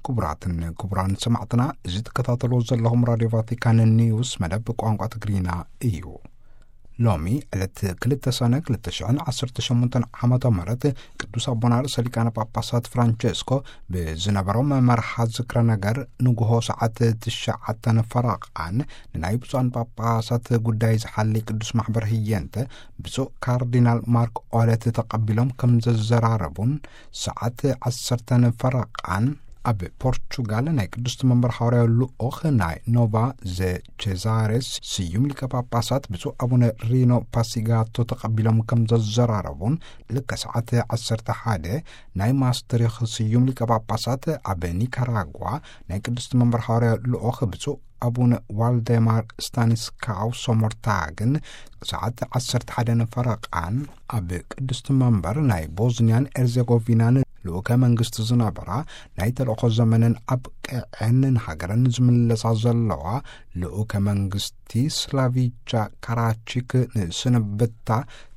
ክቡራትን ክቡራን ሰማዕትና፣ እዚ ትከታተልዎ ዘለኹም ራድዮ ቫቲካን ኒውስ መደብ ቋንቋ ትግርኛ እዩ። ሎሚ ዕለት ክልተ ሰነ ክልተ ሽሕን ዓሰርተ ሸሞንተን ዓመተ ምህረት ቅዱስ ኣቦና ርእሰ ሊቃነ ጳጳሳት ፍራንቸስኮ ብዝነበሮም መርሓ ዝክረ ነገር ንግሆ ሰዓት ትሽዓተን ፈረቓን ንናይ ብፁዓን ጳጳሳት ጉዳይ ዝሓሊ ቅዱስ ማሕበር ህየንተ ብፁዕ ካርዲናል ማርክ ኦለት ተቐቢሎም ከም ዘዘራረቡን ሰዓት ዓሰርተን ፈረቓን ኣብ ፖርቹጋል ናይ ቅድስቲ መንበር ሓዋርያዊ ልኡኽ ናይ ኖቫ ዘ ቼዛሬስ ስዩም ሊቀ ጳጳሳት ብፁዕ ኣቡነ ሪኖ ፓሲጋቶ ተቐቢሎም ከም ዘዘራረቡን፣ ልከ ሰዓት ዓሰርተ ሓደ ናይ ማስትሪኽ ስዩም ሊቀ ጳጳሳት ኣብ ኒካራጓ ናይ ቅድስቲ መንበር ሓዋርያዊ ልኡኽ ብፁዕ ኣቡነ ዋልደማር ስታኒስካው ሶሞርታግን ሰዓት ዓሰርተ ሓደ ፈረቓን ኣብ ቅድስቲ መንበር ናይ ቦዝኒያን ኤርዜጎቪናን ልኡከ መንግስቲ ዝነበራ ናይ ተልእኾ ዘመነን ኣብቅዐን ንሃገረን ዝምለሳ ዘለዋ ልኡከ መንግስቲ ስላቪቻ ካራቺክ ንስንብታ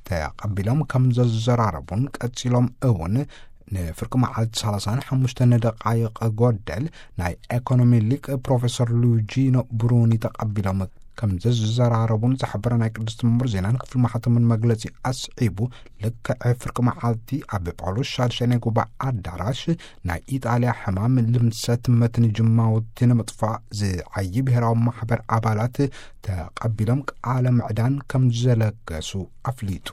ተቐቢሎም ከም ዘዘራረቡን፣ ቀጺሎም እውን ንፍርቂ መዓልቲ ሰላሳን ሓሙሽተን ደቃይቕ ጎደል ናይ ኤኮኖሚ ሊቅ ፕሮፌሰር ሉጂኖ ብሩኒ ተቐቢሎም ከም ዘዘራረቡን ዝሕብረ ናይ ቅድስቲ መንበር ዜናን ክፍሊ ማሕተምን መግለጺ ኣስዒቡ፣ ልክዕ ፍርቂ መዓልቲ ኣብ ጳውሎስ ሻድሻይ ናይ ጉባኤ ኣዳራሽ ናይ ኢጣልያ ሕማም ልምሰት መትኒ ጅማውቲ ንምጥፋእ ዝዓዪ ብሔራዊ ማሕበር ኣባላት ተቐቢሎም ቃለ ምዕዳን ከም ዘለገሱ ኣፍሊጡ።